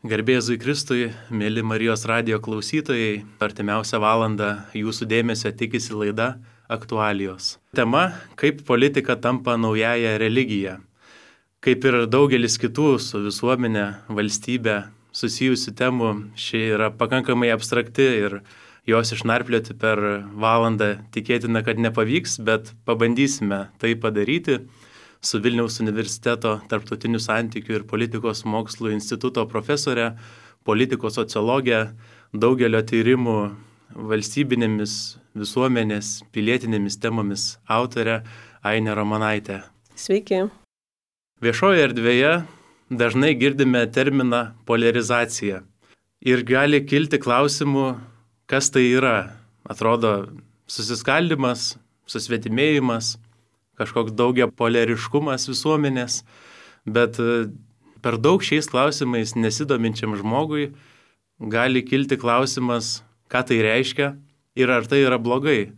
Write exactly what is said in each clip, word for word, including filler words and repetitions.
Garbėzui Kristui, mėly Marijos radijo klausytojai, artimiausią valandą jūsų dėmesio tikisi laida Aktualijos. Tema – kaip politika tampa naująją religiją. Kaip ir daugelis kitų su visuomenė, valstybė susijusių temų, ši yra pakankamai abstrakti ir jos išnarplioti per valandą tikėtina, kad nepavyks, bet pabandysime tai padaryti. Su Vilniaus universiteto tarptautinių santykių ir politikos mokslų instituto profesorė, politikos sociologė, daugelio tyrimų valstybinėmis, visuomenės, pilietinėmis temomis autorė Ainė Ramonaitė. Sveiki. Viešoje erdvėje dažnai girdime terminą poliarizacija ir gali kilti klausimų, kas tai yra. Atrodo susiskaldimas, susvetimėjimas, kažkoks daugia poliariškumas visuomenės, bet per daug šiais klausimais nesidominčiam žmogui gali kilti klausimas, ką tai reiškia ir ar tai yra blogai.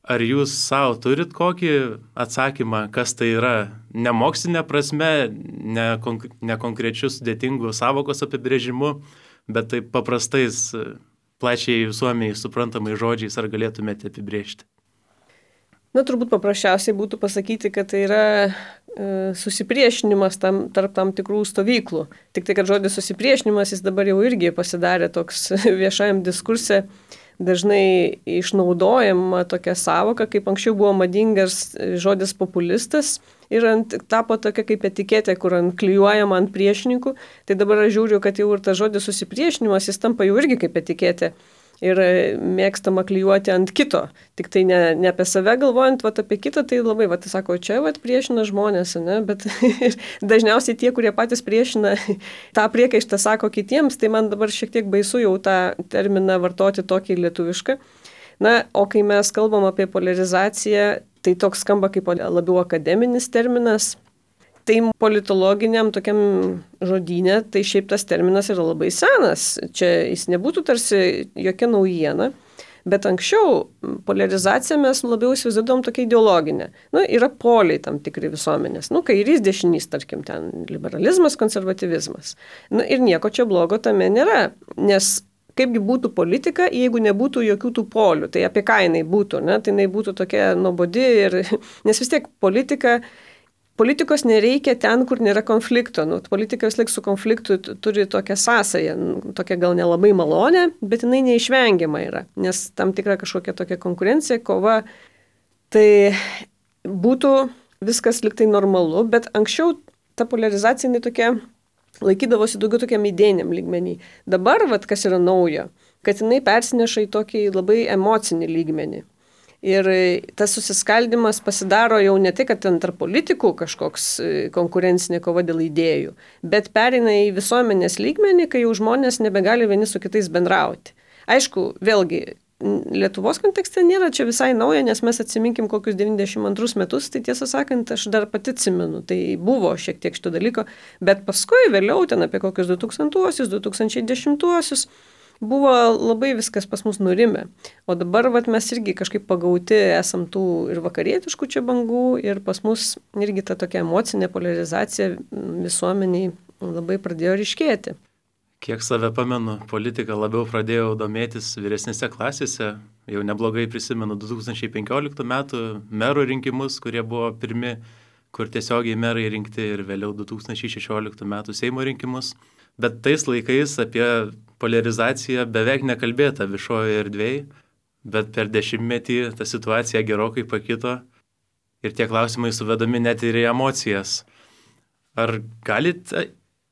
Ar jūs savo turit kokį atsakymą, kas tai yra, ne mokslinė prasme, ne, konk- ne konkrečių sudėtingų savokos apibrėžimu, bet taip paprastais, plačiai visuomeniai suprantamai žodžiais, ar galėtumėte apibrėžti? Na, turbūt paprasčiausiai būtų pasakyti, kad tai yra e, susipriešinimas tam, tarp tam tikrų stovyklų. Tik tai, kad žodis susipriešinimas jis dabar jau irgi pasidarė toks viešajam diskurse, dažnai išnaudojama tokia savoka, kaip anksčiau buvo madingas žodis populistas ir ant, tapo tokia kaip etiketė, kur ant klijuojama ant priešininkų. Tai dabar aš žiūriu, kad jau ir tas žodis susipriešinimas jis tampa jau irgi kaip etiketė. Ir mėgstama klijuoti ant kito. Tik tai ne, ne apie save galvojant, vat apie kitą, tai labai, vat, sako, čia vat, priešina žmonės, ne? Bet dažniausiai tie, kurie patys priešina, tą priekaištą sako kitiems, tai man dabar šiek tiek baisu jau tą terminą vartoti tokį lietuvišką. Na, o kai mes kalbam apie poliarizaciją, tai toks skamba kaip labiau akademinis terminas. Tai politologiniam tokiam žodyne, tai šiaip tas terminas yra labai senas. Čia jis nebūtų tarsi jokia naujiena, bet anksčiau poliarizaciją mes labiau įsivaizduodom tokia ideologinė. Nu, yra poliai tam tikri visuomenės. Nu, kairys, dešinys, tarkim, ten liberalizmas, konservatyvizmas. Nu, ir nieko čia blogo tame nėra, nes kaipgi būtų politika, jeigu nebūtų jokių tų polių. Tai apie ką jinai būtų, ne? Tai jinai būtų tokia nuobodi ir... Nes vis tiek politika... Politikos nereikia ten, kur nėra konflikto. Nu, politika vis laik su konfliktu turi tokią sąsają, tokią gal nelabai malonę, bet jinai neišvengiama yra, nes tam tikra kažkokia tokia konkurencija, kova, tai būtų viskas liktai normalu, bet anksčiau ta poliarizacija jinai tokia laikydavosi daugiau tokiam idėjiniam lygmenį. Dabar, vat, kas yra naujo, kad jinai persineša į tokį labai emocinį lygmenį. Ir tas susiskaldimas pasidaro jau ne tik, kad ten tarp politikų kažkoks konkurencinė kova dėl idėjų, bet pereina į visuomenės lygmenį, kai jau žmonės nebegali vieni su kitais bendrauti. Aišku, vėlgi, Lietuvos kontekste nėra čia visai nauja, nes mes atsiminkim kokius devyniasdešimt antrus metus, tai tiesą sakant, aš dar pati atsimenu, tai buvo šiek tiek šito dalyko, bet paskui vėliau ten apie kokius du tūkstantuosius, du tūkstančiai dešimtuosius, buvo labai viskas pas mus nurimę. O dabar vat, mes irgi kažkaip pagauti esam tų ir vakarietiškų čia bangų ir pas mus irgi ta tokia emocinė poliarizacija visuomeniai labai pradėjo ryškėti. Kiek save pamenu, politiką labiau pradėjau domėtis vyresnėse klasėse. Jau neblogai prisimenu du tūkstančiai penkioliktų metų merų rinkimus, kurie buvo pirmi, kur tiesiogiai merai rinkti ir vėliau du tūkstančiai šešioliktų metų Seimo rinkimus. Bet tais laikais apie poliarizaciją beveik nekalbėta viešojoje erdvėje, bet per dešimtmetį ta situacija gerokai pakito ir tie klausimai suvedami net ir į emocijas. Ar galite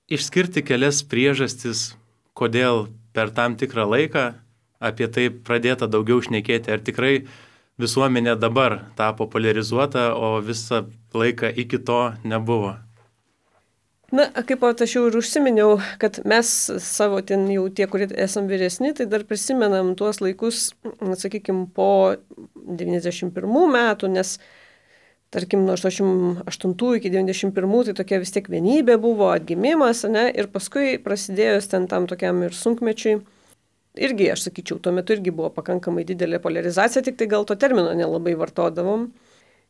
išskirti kelias priežastis, kodėl per tam tikrą laiką apie tai pradėta daugiau šnekėti? Ar tikrai visuomenė dabar tapo poliarizuota, o visą laiką iki to nebuvo? Na, kaip aš jau ir užsiminiau, kad mes savo ten jau tie, kurie esam vyresni, tai dar prisimenam tuos laikus, sakykime, po devyniasdešimt pirmų metų, nes, tarkim, nuo aštuoniasdešimt aštuntų iki devyniasdešimt pirmų tai tokia vis tiek vienybė buvo, atgimimas, ne, ir paskui prasidėjus ten tam tokiam ir sunkmečiui, irgi, aš sakyčiau, tuo metu irgi buvo pakankamai didelė poliarizacija, tik tai gal to termino nelabai vartodavom.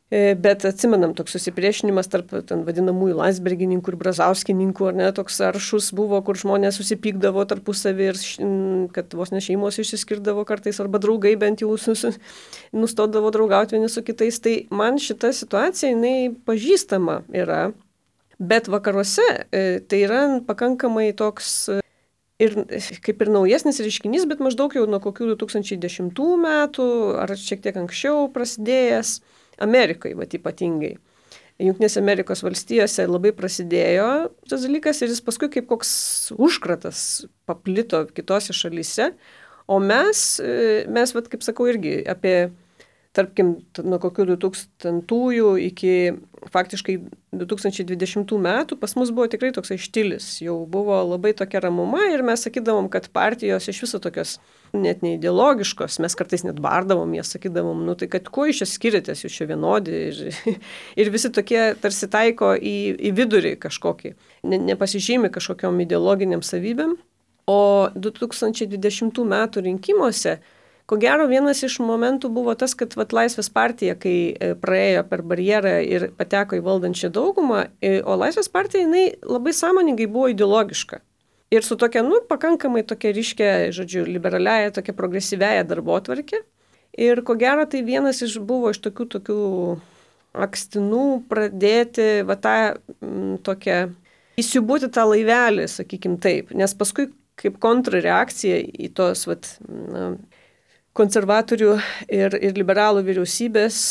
Bet atsimenam, toks susipriešinimas tarp ten vadinamųjų Landsbergininkų ir Brazauskininkų, ar ne, toks aršus buvo, kur žmonės susipykdavo tarpusavį ir kad vos ne šeimos išsiskirdavo kartais, arba draugai bent jau nustodavo draugauti vieni su kitais. Tai man šita situacija, jinai pažįstama yra, bet vakaruose tai yra pakankamai toks ir kaip ir naujesnis reiškinys, bet maždaug jau nuo kokių du tūkstančiai dešimtų metų, ar šiek tiek anksčiau prasidėjęs. Amerikai, va, ypatingai. Jungtinėse Amerikos valstijose labai prasidėjo tas dalykas ir jis paskui kaip koks užkratas paplito kitose šalyse. O mes, mes va, kaip sakau, irgi apie, tarkim, nuo kokių du tūkstantųjų iki faktiškai du tūkstančiai dvidešimtų metų pas mus buvo tikrai toksai štilis. Jau buvo labai tokia ramuma ir mes sakydavom, kad partijos iš viso tokios net neideologiškos, mes kartais net bardavom, jas sakydavom, nu tai kad kuo iš čia skiriatės, jūs čia vienodi ir, ir visi tokie tarsi taiko į, į vidurį kažkokį, ne, nepasižymi kažkokiom ideologiniam savybėm. O du tūkstančiai dvidešimtų metų rinkimuose, ko gero vienas iš momentų buvo tas, kad vat, Laisvės partija, kai praėjo per barjerą ir pateko į valdančią daugumą, o Laisvės partija jinai labai sąmoningai buvo ideologiška. Ir su tokia, nu, pakankamai tokia ryškia, žodžiu, liberaliaja, tokia progresyviaja darbotvarkė. Ir ko gero tai vienas iš buvo iš tokių, tokių akstinų pradėti, va tą m, tokią, įsiūbuoti tą laivelį, sakykim taip. Nes paskui kaip kontrreakcija į tos, vat, na, konservatorių ir, ir liberalų vyriausybės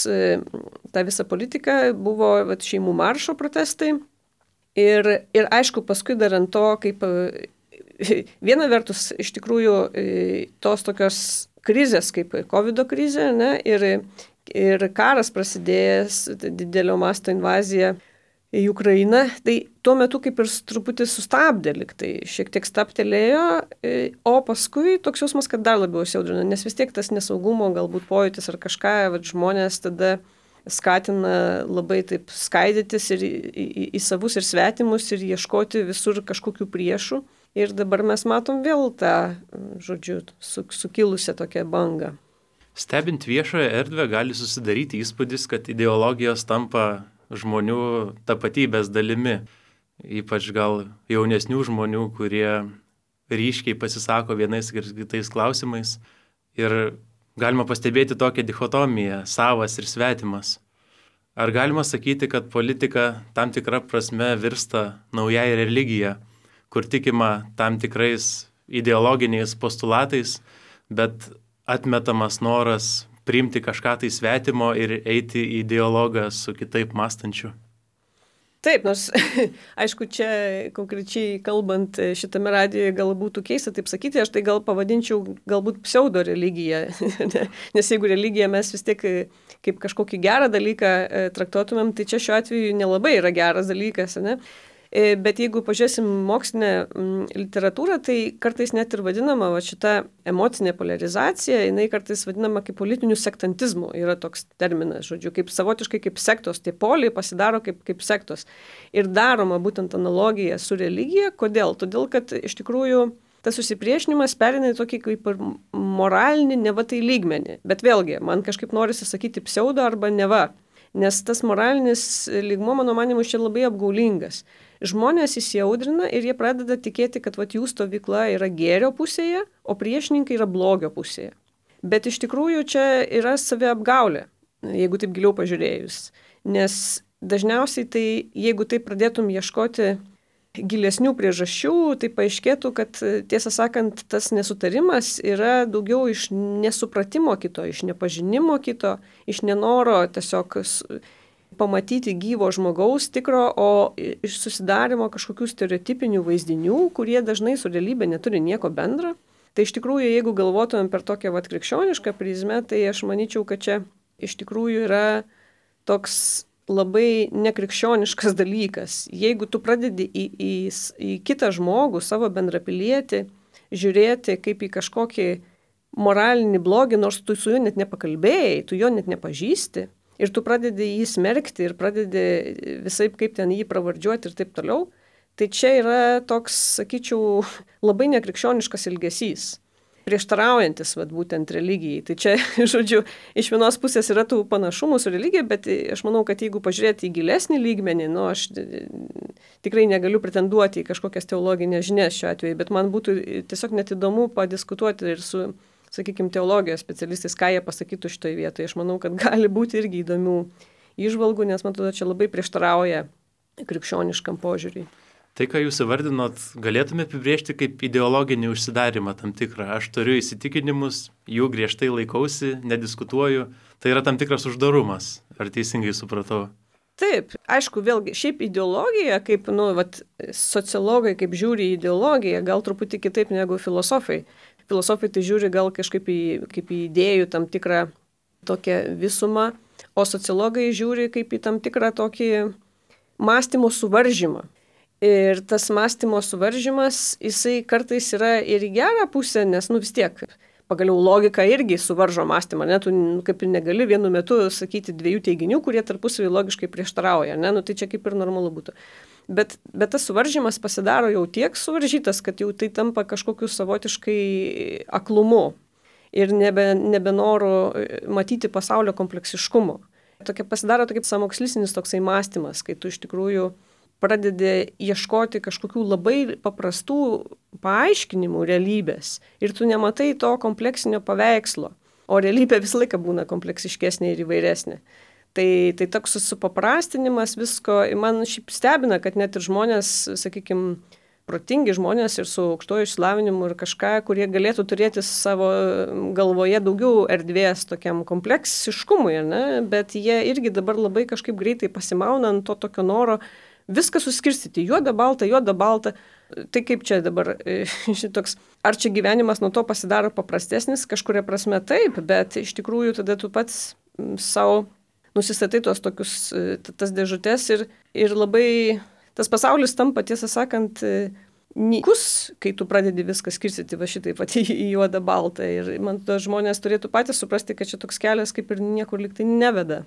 tą visą politiką buvo vat, šeimų maršo protestai. Ir, ir aišku, paskui dar ant to, kaip viena vertus iš tikrųjų tos tokios krizės, kaip COVID krizė, ne, ir, ir karas prasidėjęs, didelio masto invazija į Ukrainą, tai tuo metu kaip ir truputį sustabdė, lyg tai šiek tiek stabtelėjo, o paskui toks jausmas, kad dar labiau įsiaudrino, nes vis tiek tas nesaugumo galbūt pojūtis ar kažką, vat, žmonės tada skatina labai taip skaidytis ir į, į, į savus ir svetimus ir ieškoti visur kažkokių priešų. Ir dabar mes matom vėl tą, žodžiu, su, sukilusią tokią bangą. Stebint viešoje erdvę gali susidaryti įspūdis, kad ideologijos tampa žmonių tapatybės dalimi, ypač gal jaunesnių žmonių, kurie ryškiai pasisako vienais ir kitais klausimais. Ir galima pastebėti tokią dichotomiją, savas ir svetimas. Ar galima sakyti, kad politika tam tikra prasme virsta naujai religija, kur tikima tam tikrais ideologiniais postulatais, bet atmetamas noras priimti kažką tai svetimo ir eiti į dialogą su kitaip mąstančiu? Taip, nors, aišku, čia konkrečiai kalbant šitame radijoje gal būtų keista taip sakyti, aš tai gal pavadinčiau galbūt pseudo religiją, nes jeigu religiją mes vis tiek kaip kažkokį gerą dalyką traktuotumėm, tai čia šiuo atveju nelabai yra geras dalykas, ne? Bet jeigu pažiūrėsim mokslinę literatūrą, tai kartais net ir vadinama va, šita emocinė polarizacija, jinai kartais vadinama kaip politiniu sektantizmu, yra toks terminas, žodžiu, kaip savotiškai kaip sektos, tie poliai pasidaro kaip, kaip sektos. Ir daroma būtent analogija su religija. Kodėl? Todėl, kad iš tikrųjų tas susipriešinimas perina į tokį kaip ir moralinį neva tai lygmenį. Bet vėlgi, man kažkaip norisi sakyti pseudo arba neva, nes tas moralinis lygmuo, mano manimu, čia labai apgaulingas. Žmonės įsiaudrina ir jie pradeda tikėti, kad vat, jų stovykla yra gėrio pusėje, o priešininkai yra blogio pusėje. Bet iš tikrųjų čia yra saviapgaulė, jeigu taip giliau pažiūrėjus. Nes dažniausiai tai, jeigu taip pradėtum ieškoti gilesnių priežasčių, tai paaiškėtų, kad tiesą sakant, tas nesutarimas yra daugiau iš nesupratimo kito, iš nepažinimo kito, iš nenoro tiesiog pamatyti gyvo žmogaus tikro, o iš susidarimo kažkokių stereotipinių vaizdinių, kurie dažnai su realybė neturi nieko bendro. Tai iš tikrųjų, jeigu galvotumėm per tokią vat krikščionišką prizmę, tai aš manyčiau, kad čia iš tikrųjų yra toks labai nekrikščioniškas dalykas. Jeigu tu pradedi į, į, į kitą žmogų, savo bendrapilietį, žiūrėti kaip į kažkokį moralinį blogį, nors tu su juo net nepakalbėjai, tu jo net nepažįsti, ir tu pradedi jį smerkti ir pradedi visaip kaip ten jį pravardžiuoti ir taip toliau, tai čia yra toks, sakyčiau, labai nekrikščioniškas elgesys. prieštaraujantis, vat, būtent religijai. Tai čia, žodžiu, iš vienos pusės yra tų panašumų su religija, bet aš manau, kad jeigu pažiūrėti į gilesnį lygmenį, nu, aš tikrai negaliu pretenduoti į kažkokias teologinės žinias šiuo atveju, bet man būtų tiesiog net įdomu padiskutuoti ir su, sakykime, teologijos specialistais, ką jie pasakytų šitoje vietoje. Aš manau, kad gali būti irgi įdomių įžvalgų, nes man atrodo, čia labai prieštarauja krikščioniškam požiūriui. Tai, ką jūs įvardinot, galėtume apibrėžti kaip ideologinį užsidarimą tam tikrą. Aš turiu įsitikinimus, jų griežtai laikausi, nediskutuoju. Tai yra tam tikras uždarumas. Ar teisingai supratau? Taip, aišku, vėlgi, šiaip ideologija, kaip, nu, vat, sociologai, kaip žiūri į ideologiją, gal truputį kitaip negu filosofai. Filosofai tai žiūri gal kažkaip į, kaip į idėjų tam tikrą tokią visumą, o sociologai žiūri kaip į tam tikrą tokį mąstymo suvaržymą. Ir tas mąstymo suvaržymas, jisai kartais yra ir į gerą pusę, nes, nu, vis tiek, pagaliau logika irgi suvaržo mąstymą, ne, tu kaip ir negali vienu metu sakyti dviejų teiginių, kurie tarpusavį logiškai prieštarauja, ne, nu, tai čia kaip ir normalu būtų. Bet, bet tas suvaržymas pasidaro jau tiek suvaržytas, kad jau tai tampa kažkokiu savotiškai aklumu ir nebe, nebenoru matyti pasaulio kompleksiškumo. Tokia pasidaro tokia samokslistinis toksai mąstymas, kai tu iš tikrųjų pradedi ieškoti kažkokių labai paprastų paaiškinimų realybės ir tu nematai to kompleksinio paveikslo, o realybė visą laiką būna kompleksiškesnė ir įvairesnė. Tai, tai toks supaprastinimas visko, man šiaip stebina, kad net ir žmonės, sakykime, protingi žmonės ir su aukštoju išsilavinimu ir kažką, kurie galėtų turėti savo galvoje daugiau erdvės tokiam kompleksiškumui, ne? Bet jie irgi dabar labai kažkaip greitai pasimauna ant to tokio noro viską suskirstyti, juoda, balta, juoda, balta. Tai kaip čia dabar šitoks, ar čia gyvenimas nuo to pasidaro paprastesnis, kažkuria prasme taip, bet iš tikrųjų tada tu pats savo nusistatai tuos tokius, tas dėžutės ir, ir labai tas pasaulis tampa, tiesą sakant, nykus, kai tu pradedi viską skirstyti va šitai pati į juodą, baltą. Ir man to žmonės turėtų patys suprasti, kad čia toks kelias kaip ir niekur liktai neveda.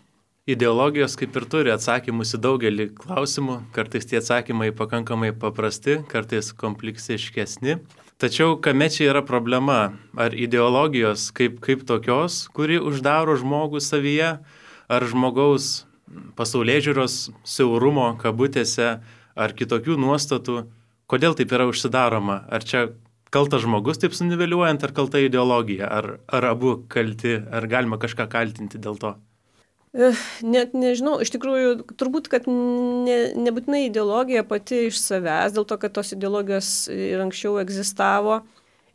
Ideologijos kaip ir turi atsakymus į daugelį klausimų, kartais tie atsakymai pakankamai paprasti, kartais kompleksiškesni. Tačiau kame čia yra problema? Ar ideologijos kaip, kaip tokios, kuri uždaro žmogų savyje, ar žmogaus pasaulėžiūros siaurumo kabutėse, ar kitokių nuostatų? Kodėl taip yra užsidaroma? Ar čia kaltas žmogus taip suniveliuojant, ar kalta ideologija? Ar, ar abu kalti, ar galima kažką kaltinti dėl to? Net nežinau, iš tikrųjų, turbūt, kad ne, nebūtinai ideologija pati iš savęs, dėl to, kad tos ideologijos ir anksčiau egzistavo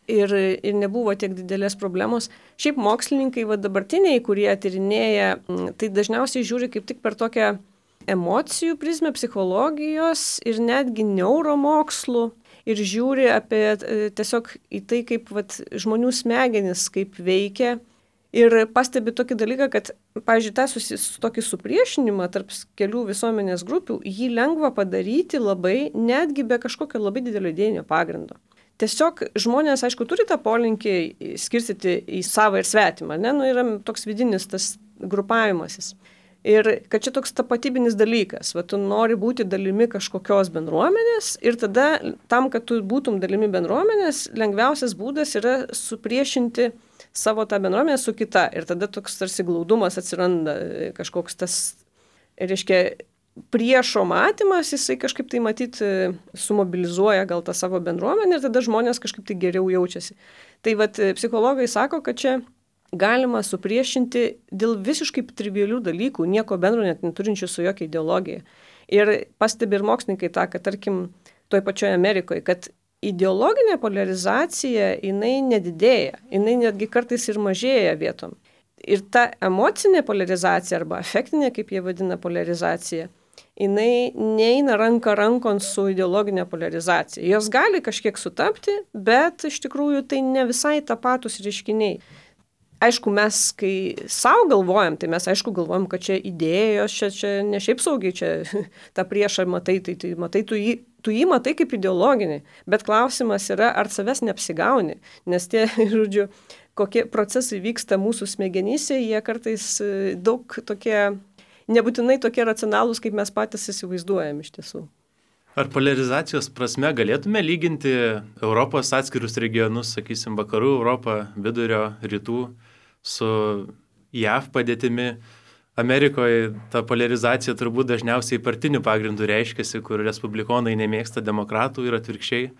ir, ir nebuvo tiek didelės problemos. Šiaip mokslininkai, va, dabartiniai, kurie tyrinėja, tai dažniausiai žiūri kaip tik per tokią emocijų prizmę, psichologijos ir netgi neuromokslų ir žiūri apie tiesiog į tai, kaip vat, žmonių smegenis kaip veikia. Ir pastebi tokį dalyką, kad, pavyzdžiui, tą susi, tokį supriešinimą tarp kelių visuomenės grupių, jį lengva padaryti labai, netgi be kažkokio labai didelio idėjinio pagrindo. Tiesiog žmonės, aišku, turi tą polinkį skirstyti į savą ir svetimą, ne? Nu, yra toks vidinis tas grupavimasis. Ir kad čia toks tapatybinis dalykas, va, tu nori būti dalimi kažkokios bendruomenės ir tada tam, kad tu būtum dalimi bendruomenės, lengviausias būdas yra supriešinti savo tą bendruomenę su kita. Ir tada toks tarsi glaudumas atsiranda, kažkoks tas, reiškia, priešo matymas, jisai kažkaip tai matyti sumobilizuoja gal tą savo bendruomenę ir tada žmonės kažkaip tai geriau jaučiasi. Tai vat psichologai sako, kad čia galima supriešinti dėl visiškai trivialių dalykų, nieko bendro net neturinčių su jokia ideologija. Ir pastebi ir mokslininkai tą, kad tarkim toj pačioje Amerikoje, kad ideologinė polarizacija, jinai nedidėja, jinai netgi kartais ir mažėja vietom. Ir ta emocinė polarizacija arba afektinė, kaip jie vadina, polarizacija, jinai neina ranka rankon su ideologinė polarizacija. Jos gali kažkiek sutapti, bet iš tikrųjų tai ne visai tapatus reiškiniai. Aišku, mes, kai savo galvojam, tai mes aišku galvojam, kad čia idėjos, čia, čia ne šiaip saugiai, čia tą priešą matai, tai, tai matai, tu jį, tu jį matai kaip ideologinį, bet klausimas yra, ar savęs neapsigauni, nes tie, žodžiu, kokie procesai vyksta mūsų smegenyse, jie kartais daug tokie, nebūtinai tokie racionalūs, kaip mes patys įsivaizduojam iš tiesų. Ar polarizacijos prasme galėtume lyginti Europos atskirus regionus, sakysim, vakarų Europą, vidurio, rytų, su J A V padėtimi? Amerikoje ta polarizacija turbūt dažniausiai partinių pagrindų reiškiasi, kur respublikonai nemėgsta demokratų ir atvirkščiai.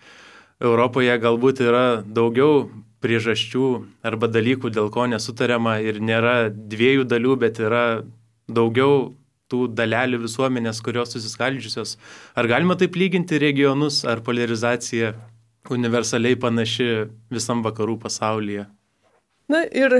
Europoje galbūt yra daugiau priežasčių arba dalykų, dėl ko nesutariama ir nėra dviejų dalių, bet yra daugiau tų dalelių visuomenės, kurios susiskaldžiusios. Ar galima taip lyginti regionus, ar polarizacija universaliai panaši visam vakarų pasaulyje? Na ir,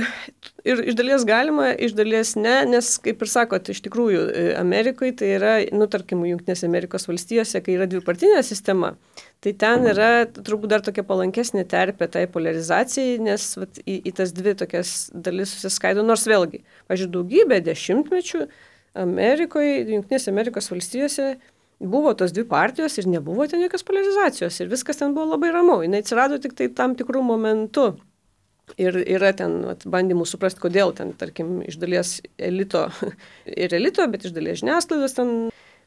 ir iš dalies galima, iš dalies ne, nes, kaip ir sakot, iš tikrųjų Amerikoje tai yra, nu, tarkim, Jungtinėse Amerikos valstijose, kai yra dvipartinė sistema, tai ten yra turbūt dar tokia palankesnė terpė tai polarizacijai, nes vat, į, į tas dvi tokias dalis susiskaido, nors vėlgi, pažiūrėjau, daugybę dešimtmečių Amerikoje, Jungtinėse Amerikos valstijose buvo tos dvi partijos ir nebuvo ten jokios polarizacijos ir viskas ten buvo labai ramu. Jis atsirado tik tai tam tikrų momentų ir yra ten vat, bandymų suprasti, kodėl ten, tarkim, iš dalies elito ir elito, bet iš dalies žiniasklaidos ten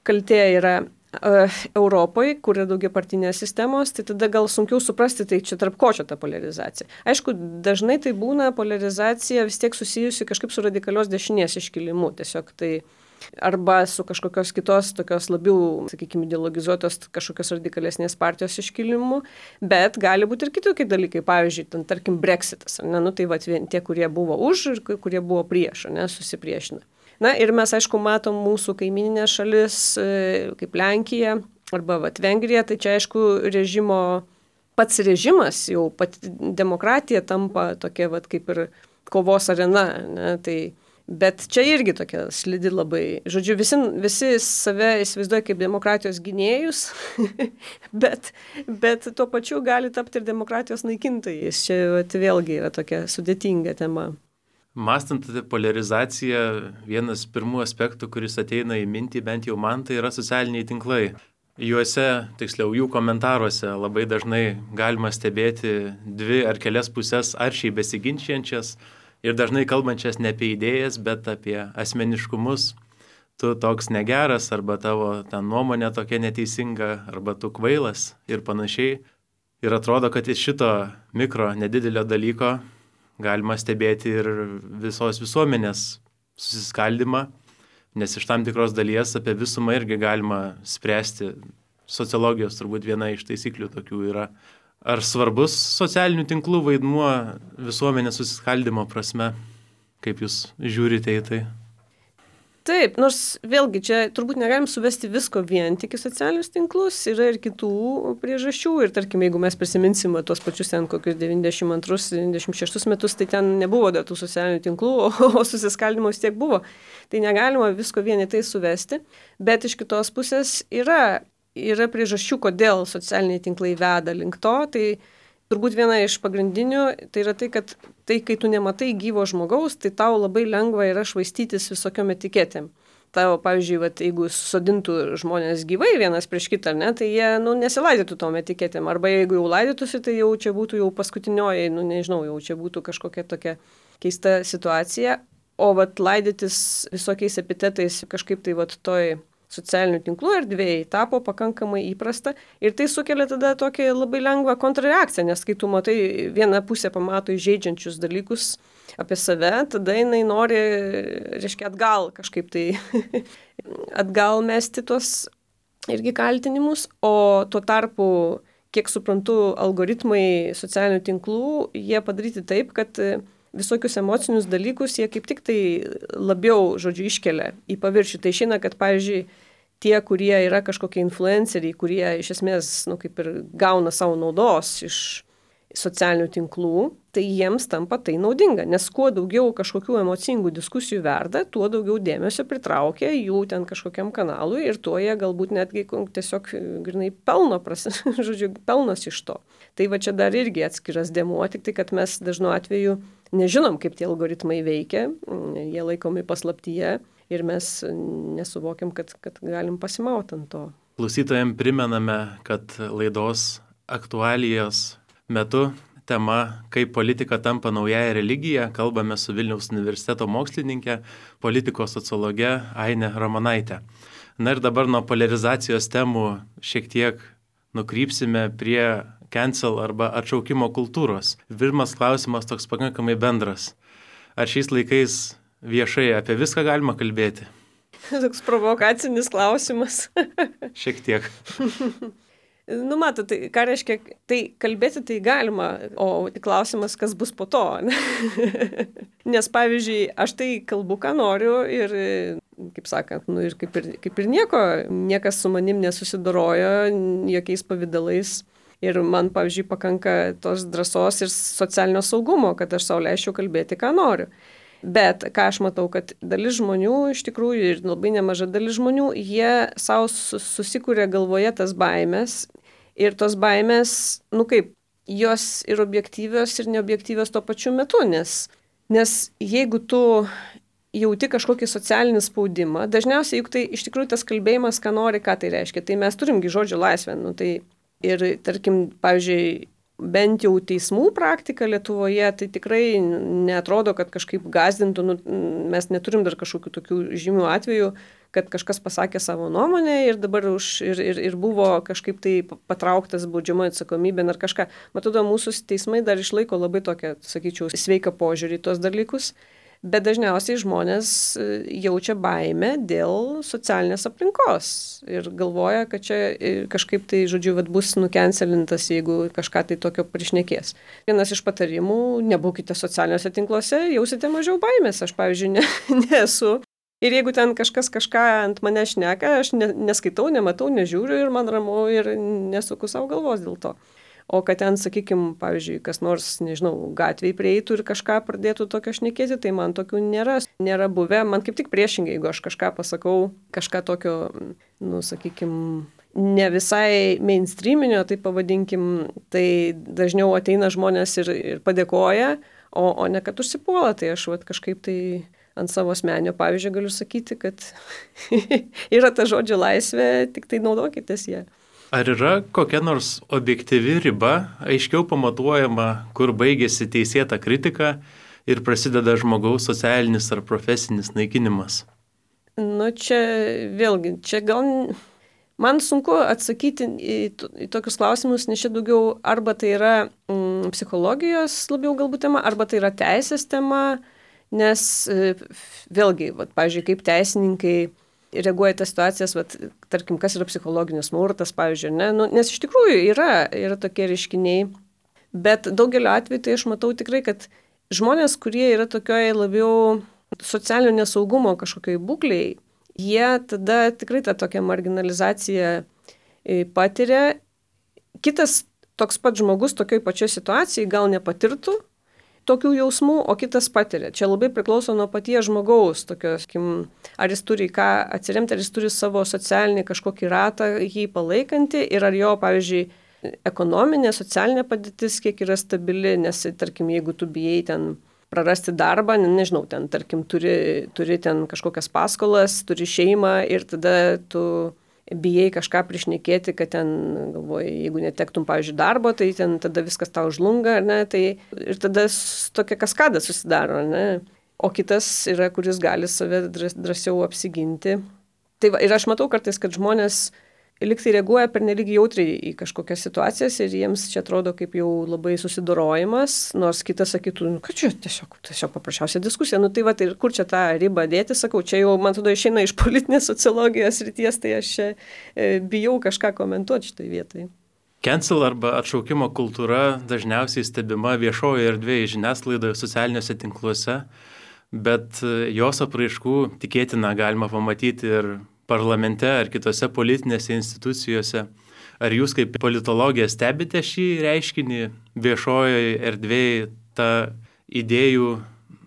kaltė yra uh, Europoje, kur yra daugia partinės sistemos, tai tada gal sunkiau suprasti, tai čia tarp ko čia ta polarizacija. Aišku, dažnai tai būna polarizacija vis tiek susijusi kažkaip su radikalios dešinės iškilimu, tiesiog tai arba su kažkokios kitos, tokios labiau, sakykime, ideologizuotos kažkokios radikalesnės partijos iškilimu, bet gali būti ir kitokie dalykai, pavyzdžiui, ten, tarkim, Brexitas, ne, nu tai va, tie, kurie buvo už ir kurie buvo prieš, ne, susipriešina. Na ir mes, aišku, matom mūsų kaimininės šalis, kaip Lenkija arba vat, Vengrija, tai čia, aišku, režimo, pats režimas, jau pati demokratija tampa tokia, vat, kaip ir kovos arena, ne, tai bet čia irgi tokia slidi labai. Žodžiu, visi, visi save įsivaizduoja kaip demokratijos gynėjus, bet, bet tuo pačiu gali tapti ir demokratijos naikintojais. Čia vat, vėlgi yra tokia sudėtinga tema. Mąstant apie polarizaciją, vienas pirmų aspektų, kuris ateina į mintį, bent jau man, tai yra socialiniai tinklai. Juose, tiksliau jų komentaruose, labai dažnai galima stebėti dvi ar kelias pusės aršiai besiginčiančias ir dažnai kalbančias ne apie idėjas, bet apie asmeniškumus. Tu toks negeras, arba tavo ta nuomonė tokia neteisinga, arba tu kvailas ir panašiai. Ir atrodo, kad iš šito mikro nedidelio dalyko galima stebėti ir visos visuomenės susiskaldimą, nes iš tam tikros dalies apie visumą irgi galima spręsti. Sociologijos turbūt viena iš taisyklių tokių yra. Ar svarbus socialinių tinklų vaidmuo visuomenės susiskaldimo prasme? Kaip jūs žiūrite į tai? Taip, nors vėlgi čia turbūt negalim suvesti visko vien tik į socialinius tinklus, yra ir kitų priežasčių ir tarkim, jeigu mes prisiminsim tuos pačius ten kokius devyniasdešimt antrus devyniasdešimt šeštus metus, tai ten nebuvo dar tų socialinių tinklų, o, o susiskaldimo vis tiek buvo. Tai negalima visko vien į tai suvesti, bet iš kitos pusės yra Yra priežasčių, kodėl socialiniai tinklai veda link to, tai turbūt viena iš pagrindinių, tai yra tai, kad tai, kai tu nematai gyvo žmogaus, tai tau labai lengva yra švaistytis visokiom etiketėm. Tau, pavyzdžiui, vat, jeigu sodintų žmonės gyvai vienas prieš kitą, ne, tai jie nu, nesilaidytų tom etiketėm, arba jeigu jau laidytųsi, tai jau čia būtų jau paskutinioji, nu nežinau, jau čia būtų kažkokia tokia keista situacija, o vat, laidytis visokiais epitetais kažkaip tai vat, toj socialinių tinklų erdvėjai tapo pakankamai įprasta ir tai sukelia tada tokią labai lengvą kontrareakciją, nes kai tu matai vieną pusę pamato įžeidžiančius dalykus apie save, tada jinai nori, reiškia, atgal kažkaip tai atgal mesti tuos irgi kaltinimus, o tuo tarpu, kiek suprantu, algoritmai socialinių tinklų, jie padaryti taip, kad visokius emocinius dalykus jie kaip tik tai labiau, žodžiu, iškelia į paviršių. Tai išeina, kad, pavyzdžiui, tie, kurie yra kažkokie influenceriai, kurie iš esmės, nu, kaip ir gauna savo naudos iš socialinių tinklų, tai jiems tampa tai naudinga, nes kuo daugiau kažkokių emocingų diskusijų verda, tuo daugiau dėmesio pritraukia jų ten kažkokiam kanalui ir tuo jie galbūt netgi tiesiog grinai pelno, pras, žodžiu, pelnas iš to. Tai va čia dar irgi atskiras dėmuo, tik tai, kad mes dažnu atveju nežinom, kaip tie algoritmai veikia, jie laikomi paslaptyje ir mes nesuvokiam, kad, kad galim pasimauti ant to. Klausytojams primename, kad laidos aktualijos metu tema, kaip politika tampa naująją religiją, kalbame su Vilniaus universiteto mokslininkė, politikos sociologe Ainė Ramonaitė. Na ir dabar nuo polarizacijos temų šiek tiek nukrypsime prie cancel arba atšaukimo kultūros. Pirmas klausimas toks pakankamai bendras. Ar šiais laikais viešai apie viską galima kalbėti? Toks provokacinis klausimas. Šiek tiek. Nu, matot, tai ką reiškia, tai kalbėti tai galima, o klausimas, kas bus po to. Nes, pavyzdžiui, aš tai kalbu, ką noriu ir, kaip sakant, nu, ir kaip, ir, kaip ir nieko, niekas su manim nesusidorojo jokiais pavydalais. Ir man, pavyzdžiui, pakanka tos drąsos ir socialinio saugumo, kad aš sau leisčiau kalbėti, ką noriu. Bet ką aš matau, kad dalis žmonių, iš tikrųjų, ir labai nemaža dalis žmonių, jie savo susikūrė galvoje tas baimės. Ir tos baimės, nu kaip, jos ir objektyvios, ir neobjektyvios tuo pačiu metu, nes, nes jeigu tu jauti kažkokį socialinį spaudimą, dažniausiai juk tai iš tikrųjų tas kalbėjimas, ką nori, ką tai reiškia. Tai mes turimgi žodžio laisvę. Nu, tai ir, tarkim, pavyzdžiui, bent jau teismų praktika Lietuvoje, tai tikrai neatrodo, kad kažkaip gąsdintų, nu, mes neturim dar kažkokių tokių žymių atvejų, kad kažkas pasakė savo nuomonę ir dabar už, ir, ir, ir buvo kažkaip tai patrauktas baudžiamoji atsakomybė ar kažką. Matau, mūsų teismai dar išlaiko labai tokią, sakyčiau, sveiką požiūrį į tos dalykus, bet dažniausiai žmonės jaučia baimę dėl socialinės aplinkos ir galvoja, kad čia kažkaip tai, žodžiu, vat, bus nukencelintas, jeigu kažką tai tokio prišnekės. Vienas iš patarimų, nebūkite socialiniuose tinkluose, jausite mažiau baimės. Aš, pavyzdžiui, ne, nesu. Ir jeigu ten kažkas kažką ant mane šneka, aš ne, neskaitau, nematau, nežiūriu ir man ramu ir nesuku savo galvos dėl to. O kad ten, sakykime, pavyzdžiui, kas nors, nežinau, gatvėje prieitų ir kažką pradėtų tokio šnekėti, tai man tokių nėra, nėra buvę. Man kaip tik priešingai, jeigu aš kažką pasakau, kažką tokio, nu, sakykime, ne visai mainstreaminio, tai pavadinkim, tai dažniau ateina žmonės ir, ir padėkoja, o, o ne kad užsipuola. Tai aš vat, kažkaip tai ant savo asmenio pavyzdžio galiu sakyti, kad yra ta žodžio laisvė, tik tai naudokitės ją. Ar yra kokia nors objektyvi riba, aiškiau pamatuojama, kur baigėsi teisėta kritika ir prasideda žmogaus socialinis ar profesinis naikinimas? Nu, čia vėlgi, čia gal man sunku atsakyti į, į tokius klausimus, nes čia daugiau arba tai yra mm, psichologijos labiau galbūt tema, arba tai yra teisės tema, nes vėlgi, vat, pavyzdžiui, kaip teisininkai reaguoja tas situacijas, vat, tarkim, kas yra psichologinis smurtas, pavyzdžiui, ne? Nu, nes iš tikrųjų yra, yra tokie reiškiniai, bet daugeliu atveju tai aš matau tikrai, kad žmonės, kurie yra tokioje labiau socialinio nesaugumo kažkokiai būkliai, jie tada tikrai tą tokią marginalizaciją patiria. Kitas toks pat žmogus tokioj pačioj situacijai gal nepatirtų tokių jausmų, o kitas patiria. Čia labai priklauso nuo paties žmogaus, tokios, kim, ar jis turi ką atsiremti, ar jis turi savo socialinį kažkokį ratą jį palaikantį ir ar jo, pavyzdžiui, ekonominė, socialinė padėtis kiek yra stabili, nes, tarkim, jeigu tu bijai ten prarasti darbą, nežinau, ten, tarkim, turi, turi ten kažkokias paskolas, turi šeimą ir tada tu bijai kažką prišnekėti, kad ten, galvoji, jeigu netektum, pavyzdžiui, darbo, tai ten tada viskas tau žlunga, ne, tai ir tada tokia kaskada susidaro, ne. O kitas yra, kuris gali save drąsiau apsiginti. Tai va, ir aš matau kartais, kad žmonės liktai reaguoja pernelyg jautriai į kažkokias situacijas ir jiems čia atrodo kaip jau labai susidorojimas, nors kitas sakytų, nu, kad čia tiesiog, tiesiog paprasčiausia diskusija. Nu tai va, tai kur čia tą ribą dėti, sakau, čia jau, man atrodo, išeina iš politinės sociologijos ryties, tai aš čia e, bijau kažką komentuoti šitoj vietoj. Cancel arba atšaukimo kultūra dažniausiai stebima viešoje erdvėje, žiniasklaidoje, socialiniuose tinkluose, bet jos apraiškų tikėtina galima pamatyti ir parlamente ar kitose politinėse institucijose. Ar jūs kaip politologija stebite šį reiškinį viešojoje erdvėje, tą idėjų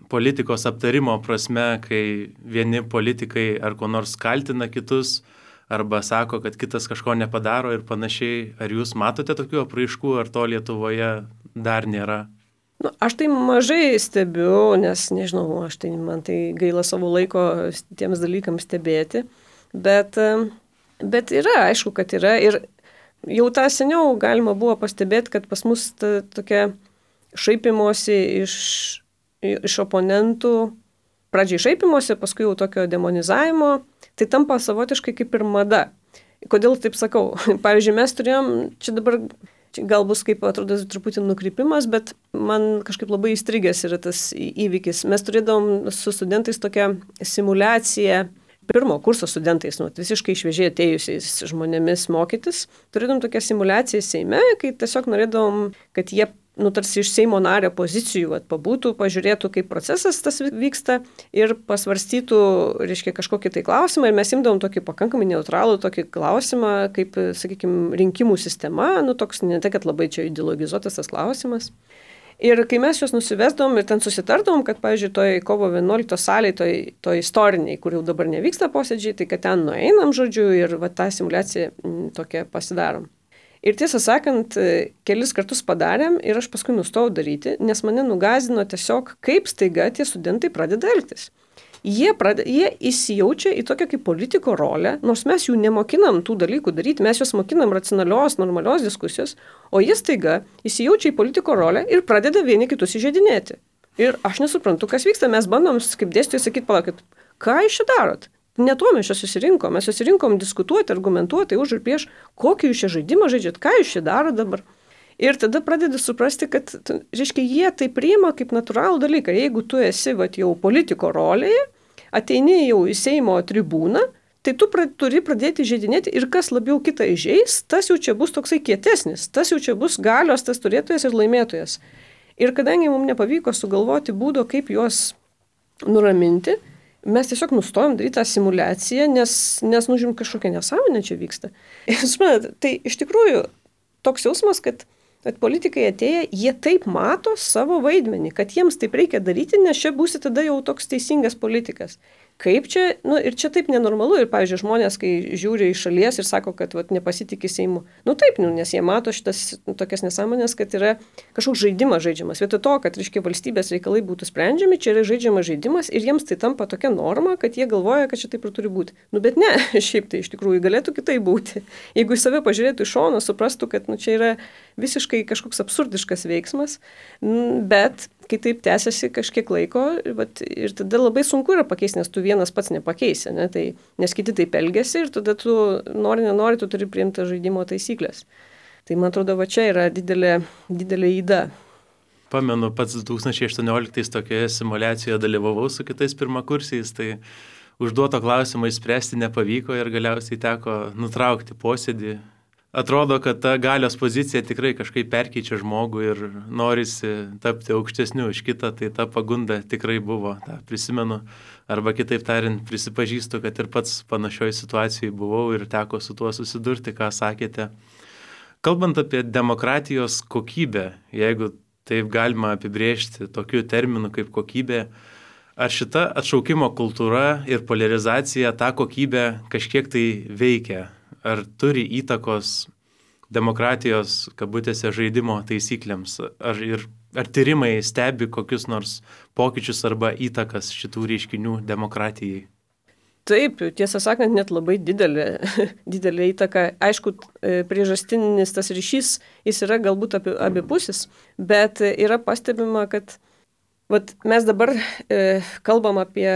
politikos aptarimo prasme, kai vieni politikai ar ko nors kaltina kitus, arba sako, kad kitas kažko nepadaro ir panašiai. Ar jūs matote tokių apraiškų, ar to Lietuvoje dar nėra? Nu, aš tai mažai stebiu, nes nežinau, aš tai, man tai gaila savo laiko tiems dalykams stebėti. Bet, bet yra, aišku, kad yra. Ir jau tą seniau galima buvo pastebėti, kad pas mus ta tokia šaipimosi iš, iš oponentų pradžiai šaipimosi, paskui jau tokio demonizavimo, tai tampa savotiškai kaip ir mada. Kodėl taip sakau? Pavyzdžiui, mes turėjom, čia dabar čia gal bus kaip atrodo truputį nukrypimas, bet man kažkaip labai įstrigęs yra tas įvykis. Mes turėdavom su studentais tokią simulaciją, pirmo kurso studentais, nu, visiškai šviežiai atėjusiais žmonėmis mokytis. Turėdavom tokią simulaciją Seime, kai tiesiog norėdavom, kad jie nu, tarsi iš Seimo nario pozicijų vat, pabūtų, pažiūrėtų, kaip procesas tas vyksta ir pasvarstytų, reiškia, kažkokį tai klausimą. Ir mes imdavom tokį pakankamai neutralų tokį klausimą, kaip, sakykime, rinkimų sistema, nu, toks ne tai, kad labai čia ideologizuotas tas klausimas. Ir kai mes juos nusivesdavom ir ten susitardom, kad, pavyzdžiui, toj kovo vienuoliktos salėje, toj, toj istoriniai, kur jau dabar nevyksta posėdžiai, tai kad ten nueinam, žodžiu, ir va, tą simulaciją m, tokią pasidarom. Ir tiesą sakant, kelis kartus padarėm ir aš paskui nustojau daryti, nes mane nugąsdino tiesiog, kaip staiga tie studentai pradeda elgtis. Jie, pradeda, jie įsijaučia į tokią kaip politiko rolę, nors mes jų nemokinam tų dalykų daryti, mes juos mokinam racionalios, normalios diskusijos, o jie staiga įsijaučia į politiko rolę ir pradeda vieni kitus įžeidinėti. Ir aš nesuprantu, kas vyksta, mes bandom kaip dėstytojai sakyti, palaukit, ką jūs čia darot? Ne to mes čia susirinkom, mes susirinkom diskutuoti, argumentuoti už ir prieš, kokį jūs čia žaidimą žaidžiat, ką jūs čia daro dabar. Ir tada pradedi suprasti, kad, reiškia, jie tai priima kaip natūralų dalyką. Jeigu tu esi vat, jau politiko rolėje, ateini jau į Seimo tribūną, tai tu pra, turi pradėti žaidinėti ir kas labiau kitą įžeis, tas jau čia bus toksai kietesnis, tas jau čia bus galios, tas turėtojas ir laimėtojas. Ir kadangi mums nepavyko sugalvoti būdo, kaip juos nuraminti, mes tiesiog nustojom daryti tą simulaciją, nes, nes nužim kažkokia nesąmonė čia vyksta. Ir, suprantat, tai iš tikrųjų toks jausmas, kad, kad politikai atėję, jie taip mato savo vaidmenį, kad jiems taip reikia daryti, nes čia būsi tada jau toks teisingas politikas. Kaip čia, nu ir čia taip nenormalu ir, pavyzdžiui, žmonės, kai žiūri iš šalies ir sako, kad vat, nepasitikė Seimu, nu taip, nu, nes jie mato šitas nu, tokias nesąmonės, kad yra kažkoks žaidimas žaidžiamas. Vietoj to, kad, reiškia, valstybės reikalai būtų sprendžiami, čia yra žaidžiamas žaidimas ir jiems tai tampa tokia norma, kad jie galvoja, kad čia taip ir turi būti. Nu bet ne, šiaip tai iš tikrųjų galėtų kitaip būti. Jeigu į save pažiūrėtų iš šono, suprastų, kad nu, čia yra visiškai kažkoks absurdiškas veiksmas, bet kai taip tęsiasi kažkiek laiko vat, ir tada labai sunku yra pakeisti, nes tu vienas pats nepakeisi, ne? Tai, nes kiti taip elgiasi ir tada tu nori, nenori, tu turi priimti žaidimo taisyklės. Tai man atrodo, va čia yra didelė, didelė įda. Pamenu, pats du tūkstančiai aštuonioliktais tokioje simuliacijoje dalyvavau su kitais pirmakursiais, tai užduoto klausimo išspręsti nepavyko ir galiausiai teko nutraukti posėdį. Atrodo, kad ta galios pozicija tikrai kažkaip perkeičia žmogų ir norisi tapti aukštesniu už kitą, tai ta pagunda tikrai buvo, tą prisimenu. Arba kitaip tariant, prisipažįstu, kad ir pats panašioj situacijai buvau ir teko su tuo susidurti, ką sakėte. Kalbant apie demokratijos kokybę, jeigu taip galima apibrėžti tokiu terminu kaip kokybė, ar šita atšaukimo kultūra ir polarizacija tą kokybę kažkiek tai veikia? Ar turi įtakos demokratijos, kabutėse, žaidimo taisyklėms? Ar, ir, ar tyrimai stebi kokius nors pokyčius arba įtakas šitų reiškinių demokratijai? Taip, tiesą sakant, net labai didelė, didelė įtaka. Aišku, priežastinis tas ryšys, jis yra galbūt abi, abipusis, bet yra pastebima, kad vat, mes dabar e, kalbam apie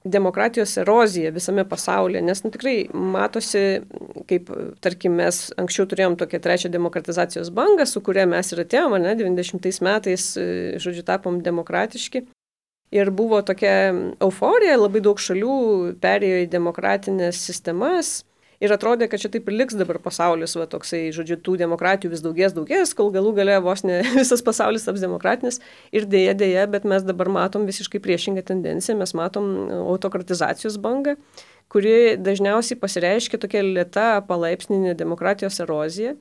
demokratijos erozija visame pasaulyje, nes nu, tikrai matosi, kaip, tarkim, mes anksčiau turėjom tokią trečią demokratizacijos bangą, su kuria mes ir atėjom, ne, devyniasdešimtais metais, žodžiu, tapom demokratiški. Ir buvo tokia euforija, labai daug šalių perėjo į demokratinės sistemas. Ir atrodė, kad čia taip ir liks dabar pasaulis, va, toksai, žodžiu, tų demokratijų vis daugės, daugės, kol galų gale vos ne visas pasaulis taps demokratinis. Ir dėja, dėja, bet mes dabar matom visiškai priešingą tendenciją, mes matom autokratizacijos bangą, kuri dažniausiai pasireiškia tokia lėta palaipsninė demokratijos erozija.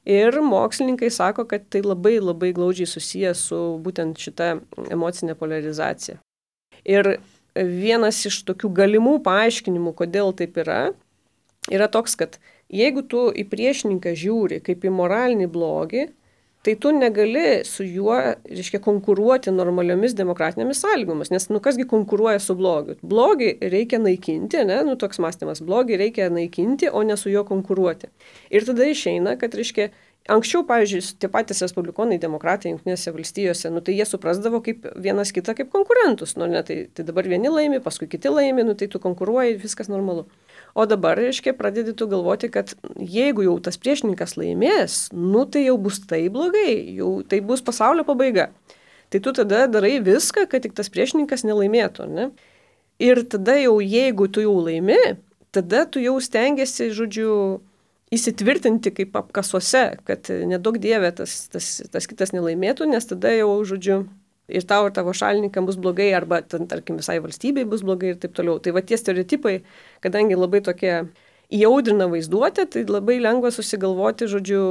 Ir mokslininkai sako, kad tai labai labai glaudžiai susiję su būtent šita emocinė polarizacija. Ir vienas iš tokių galimų paaiškinimų, kodėl taip yra, yra toks, kad jeigu tu į priešininką žiūri kaip į moralinį blogį, tai tu negali su juo, reiškia, konkuruoti normaliomis demokratinėmis sąlygomis, nes nu kasgi konkuruoja su blogiu. Blogį reikia naikinti, ne, nu toks mąstymas, blogį reikia naikinti, o ne su juo konkuruoti. Ir tada išeina, kad, reiškia, Anksčiau, pavyzdžiui, tie patys respublikonai, demokratai Jungtinėse valstijose, nu tai jie suprasdavo kaip vienas kitą kaip konkurentus. Nu, ne, tai, tai dabar vieni laimi, paskui kiti laimi, nu tai tu konkuruoji, viskas normalu. O dabar, reiškia, pradedi tu galvoti, kad jeigu jau tas priešininkas laimės, nu tai jau bus tai blogai, jau tai bus pasaulio pabaiga. Tai tu tada darai viską, kad tik tas priešininkas nelaimėtų, ne? Ir tada jau, jeigu tu jau laimi, tada tu jau stengiasi, žodžiu, įsitvirtinti kaip apkasuose, kad nedaug dievė tas, tas, tas kitas nelaimėtų, nes tada jau, žodžiu, ir tau ir tavo šalininkam bus blogai, arba, ten, tarkim, visai valstybei bus blogai ir taip toliau. Tai va tie stereotipai, kadangi labai tokie įaudrina vaizduotę, tai labai lengva susigalvoti, žodžiu,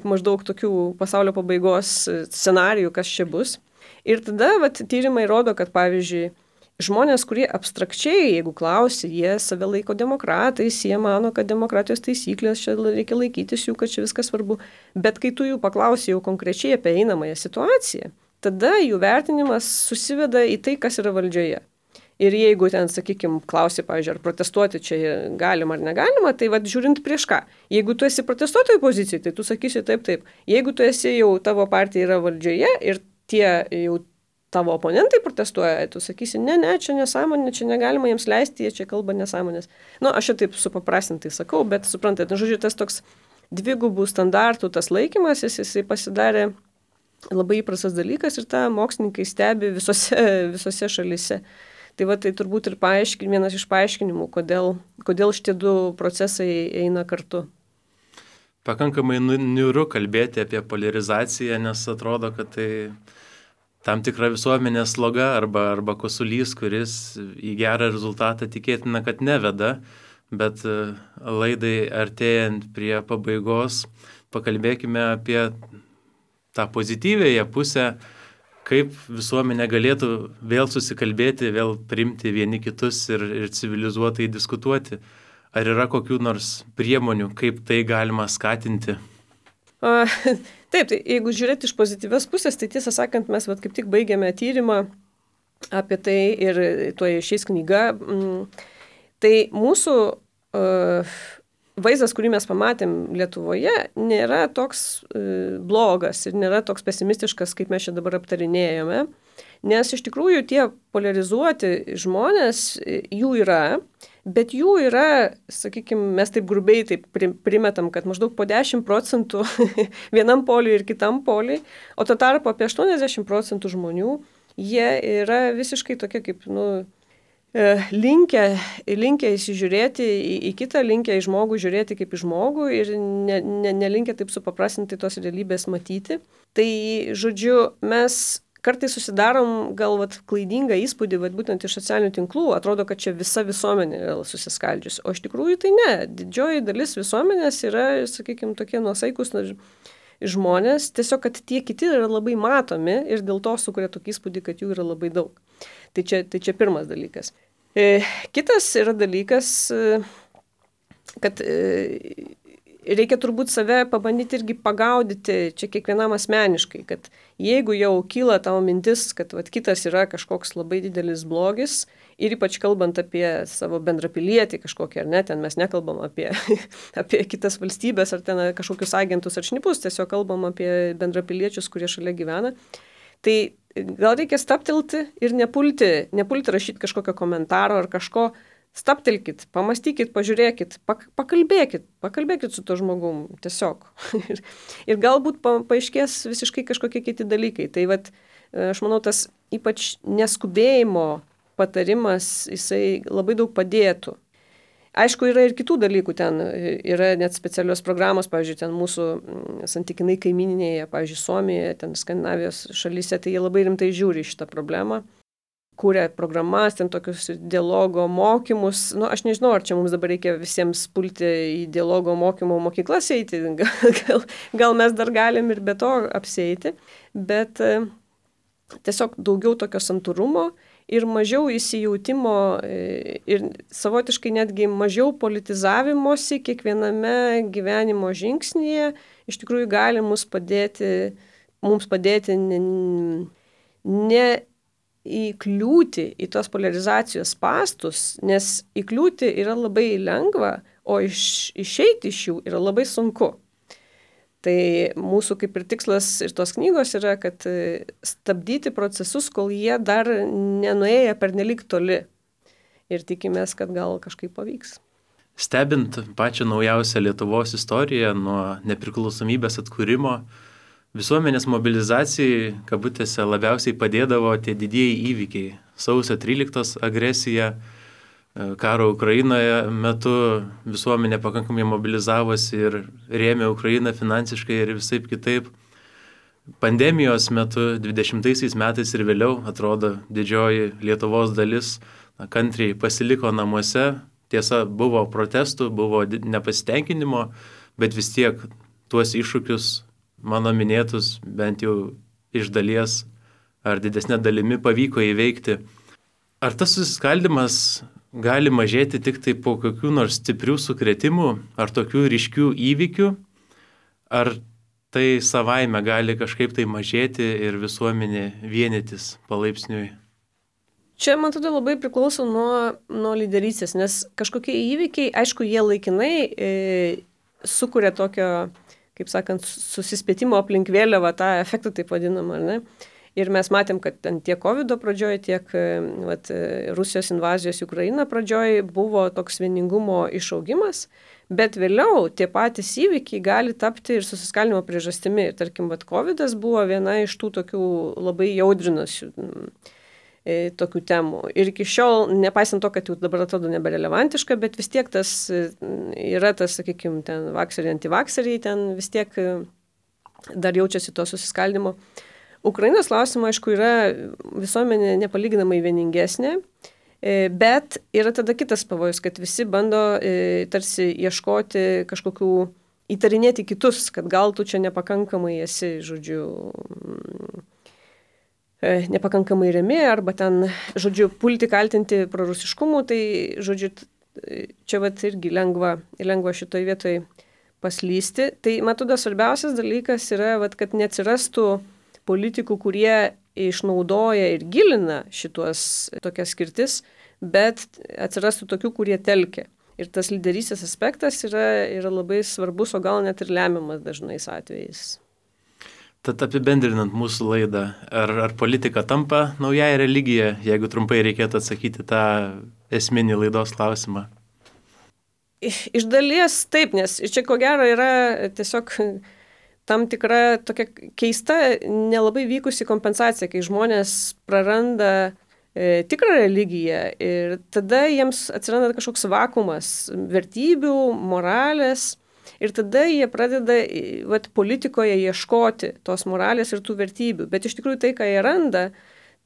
maždaug tokių pasaulio pabaigos scenarijų, kas čia bus. Ir tada va, tyrimai rodo, kad, pavyzdžiui, žmonės, kurie abstrakčiai, jeigu klausi, jie save laiko demokratais, jie mano, kad demokratijos taisyklės, čia reikia laikytis jų, kad čia viskas svarbu. Bet kai tu jų paklausi jau konkrečiai apie einamąją situaciją, tada jų vertinimas susiveda į tai, kas yra valdžioje. Ir jeigu ten, sakykime, klausi, pavyzdžiui, ar protestuoti čia galima ar negalima, tai vad žiūrint prieš ką. Jeigu tu esi protestuotojų pozicijai, tai tu sakysi taip, taip. Jeigu tu esi jau, tavo partija yra valdžioje ir tie jau tavo oponentai protestuoja, tu sakysi, ne, ne, čia nesąmonė, čia negalima jiems leisti, jie čia kalba nesąmonės. Nu, aš čia taip supaprastintai sakau, bet suprantate, nu, žodžiu, tas toks dvigubų standartų, tas laikymas, jis, jisai pasidarė labai įprastas dalykas ir tą mokslininkai stebi visose, visose šalise. Tai va, tai turbūt ir paaiškin, vienas iš paaiškinimų, kodėl, kodėl šitie du procesai eina kartu. Pakankamai niūru kalbėti apie polarizaciją, nes atrodo, kad tai tam tikra visuomenės sloga arba, arba kosulys, kuris į gerą rezultatą tikėtina, kad neveda, bet laidai artėjant prie pabaigos pakalbėkime apie tą pozityvėją pusę, kaip visuomenė galėtų vėl susikalbėti, vėl priimti vieni kitus ir, ir civilizuotai diskutuoti. Ar yra kokių nors priemonių, kaip tai galima skatinti? A, taip, tai jeigu žiūrėti iš pozityvios pusės, tai tiesą sakant, mes vat, kaip tik baigėme tyrimą apie tai ir tuo išeis knyga. Tai mūsų uh, vaizdas, kurį mes pamatėm Lietuvoje, nėra toks uh, blogas ir nėra toks pesimistiškas, kaip mes čia dabar aptarinėjome, nes iš tikrųjų tie polarizuoti žmonės, jų yra, bet jų yra, sakykime, mes taip grubiai taip primetam, kad maždaug po dešimt procentų vienam poliui ir kitam poliui, o to tarpu apie aštuoniasdešimt procentų žmonių, jie yra visiškai tokie kaip, nu, linkę, linkę įsižiūrėti į, į kitą, linkę į žmogų žiūrėti kaip į žmogų ir ne, ne, nelinkę taip supaprastinti tos realybės matyti. Tai, žodžiu, mes kartais susidarom gal vat, klaidingą įspūdį, vat, būtent iš socialinių tinklų, atrodo, kad čia visa visuomenė yra susiskaldžiusi, o iš tikrųjų tai ne. Didžioji dalis visuomenės yra, sakykime, tokie nuosaikus žmonės, tiesiog, kad tie kiti yra labai matomi ir dėl to sukuria tokį įspūdį, kad jų yra labai daug. Tai čia, tai čia pirmas dalykas. E, kitas yra dalykas, kad e, reikia turbūt save pabandyti irgi pagaudyti čia kiekvienam asmeniškai, kad jeigu jau kyla tavo mintis, kad vat, kitas yra kažkoks labai didelis blogis ir ypač kalbant apie savo bendrapilietį kažkokį, ar ne, ten mes nekalbam apie, apie kitas valstybės ar ten kažkokius agentus ar šnipus, tiesiog kalbam apie bendrapiliečius, kurie šalia gyvena, tai gal reikia staptelti ir nepulti, nepulti rašyti kažkokio komentaro ar kažko. Staptelkit, pamastykit, pažiūrėkit, pak, pakalbėkit, pakalbėkit su to žmogum, tiesiog. ir, ir galbūt pa, paaiškės visiškai kažkokie kiti dalykai. Tai vat, aš manau, tas ypač neskubėjimo patarimas, jisai labai daug padėtų. Aišku, yra ir kitų dalykų ten, yra net specialios programos, pavyzdžiui, ten mūsų santykinai kaimininėje, pavyzdžiui, Suomijoje, ten Skandinavijos šalyse, tai jie labai rimtai žiūri šitą problemą. Kūrė programas, ten tokius dialogo mokymus. Nu, aš nežinau, ar čia mums dabar reikia visiems pulti į dialogo mokymo mokyklas eiti. Gal, gal mes dar galim ir be to apsieiti. Bet e, tiesiog daugiau tokio santūrumo ir mažiau įsijautimo e, ir savotiškai netgi mažiau politizavimosi kiekviename gyvenimo žingsnyje iš tikrųjų gali mums padėti, mums padėti ne, ne įkliūti į tos polarizacijos spastus, nes įkliūti yra labai lengva, o iš, išeiti iš jų yra labai sunku. Tai mūsų kaip ir tikslas ir tos knygos yra, kad stabdyti procesus, kol jie dar nenuėję pernelyg toli. Ir tikimės, kad gal kažkaip pavyks. Stebint pačią naujausią Lietuvos istoriją nuo nepriklausomybės atkūrimo, visuomenės mobilizacijai, kabutėse, labiausiai padėdavo tie didieji įvykiai. Sausio tryliktos agresija, karo Ukrainoje metu visuomenė pakankamai mobilizavosi ir rėmė Ukrainą finansiškai ir visaip kitaip. Pandemijos metu, dvidešimtaisiais metais ir vėliau, atrodo, didžioji Lietuvos dalis na, kantriai pasiliko namuose. Tiesa, buvo protestų, buvo nepasitenkinimo, bet vis tiek tuos iššūkius mano minėtus bent jau iš dalies ar didesnė dalimi pavyko įveikti. Ar tas susiskaldimas gali mažėti tik tai po kokių nors stiprių sukrėtimų ar tokių ryškių įvykių, ar tai savaime gali kažkaip tai mažėti ir visuomenė vienytis palaipsniui? Čia, man atrodo, labai priklauso nuo, nuo lyderystės, nes kažkokie įvykiai, aišku, jie laikinai e, sukuria tokio, kaip sakant, susispėtimo aplink vėliavą, tą efektą taip vadinamą, ar ne? Ir mes matėm, kad tiek COVID pradžioje, tiek vat, Rusijos invazijos į Ukrainą pradžioje buvo toks vieningumo išaugimas, bet vėliau tie patys įvykiai gali tapti ir susiskaldimo priežastimi. Ir tarkim, vat, COVID buvo viena iš tų tokių labai jaudrinusių tokių temų. Ir iki šiol, nepaisant to, kad jau dabar atrodo neberelevantiška, bet vis tiek tas yra tas, sakykime, ten vakseriai, antivakseriai, ten vis tiek dar jaučiasi to susiskaldimo. Ukrainos klausimas, aišku, yra visuomenė nepalyginamai vieningesnė, bet yra tada kitas pavojus, kad visi bando tarsi ieškoti kažkokių, įtarinėti kitus, kad gal tu čia nepakankamai esi, žodžiu, nepakankamai remi, arba ten, žodžiu, pulti kaltinti prorusiškumu, tai, žodžiu, čia vat irgi lengva, lengva šitoj vietoj paslysti. Tai, matoda, svarbiausias dalykas yra, vat, kad neatsirastų politikų, kurie išnaudoja ir gilina šituos tokias skirtis, bet atsirastų tokių, kurie telkia. Ir tas lyderystės aspektas yra, yra labai svarbus, o gal net ir lemiamas dažnais atvejais. Tad apibendrinant mūsų laidą, ar, ar politika tampa naująją religiją, jeigu trumpai reikėtų atsakyti tą esminį laidos klausimą? Iš dalies taip, nes čia ko gero yra tiesiog tam tikra tokia keista, nelabai vykusi kompensacija, kai žmonės praranda e, tikrą religiją ir tada jiems atsiranda kažkoks vakumas vertybių, moralės. Ir tada jie pradeda vat, politikoje ieškoti tos moralės ir tų vertybių. Bet iš tikrųjų tai, ką jie randa,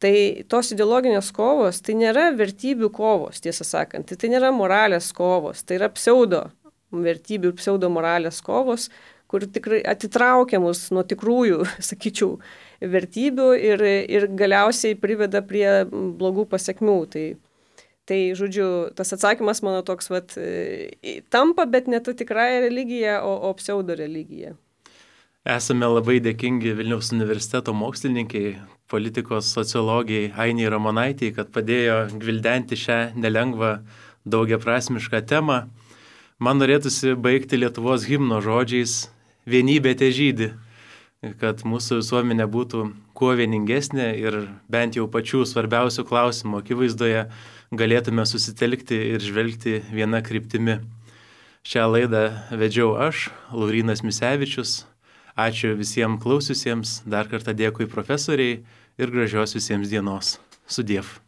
tai tos ideologinės kovos, tai nėra vertybių kovos, tiesą sakant. Tai, tai nėra moralės kovos, tai yra pseudo vertybių ir pseudo moralės kovos, kur tikrai atitraukia mus nuo tikrųjų, sakyčiau, vertybių ir, ir galiausiai priveda prie blogų pasekmių. Tai, Tai, žodžiu, tas atsakymas mano toks, vat, tampa, bet ne ta tikrąja religija, o, o pseudo religija. Esame labai dėkingi Vilniaus universiteto mokslininkai, politikos sociologijai Ainei Ramonaitei, kad padėjo gvildenti šią nelengvą daugiaprasmišką temą. Man norėtųsi baigti Lietuvos himno žodžiais "Vienybė težydi", kad mūsų visuomenė būtų kuo vieningesnė ir bent jau pačių svarbiausių klausimų akivaizdoje galėtume susitelkti ir žvelgti viena kryptimi. Šią laidą vedžiau aš, Laurynas Misevičius. Ačiū visiems klausiusiems, dar kartą dėkui profesoriai ir gražios visiems dienos. Sudiev.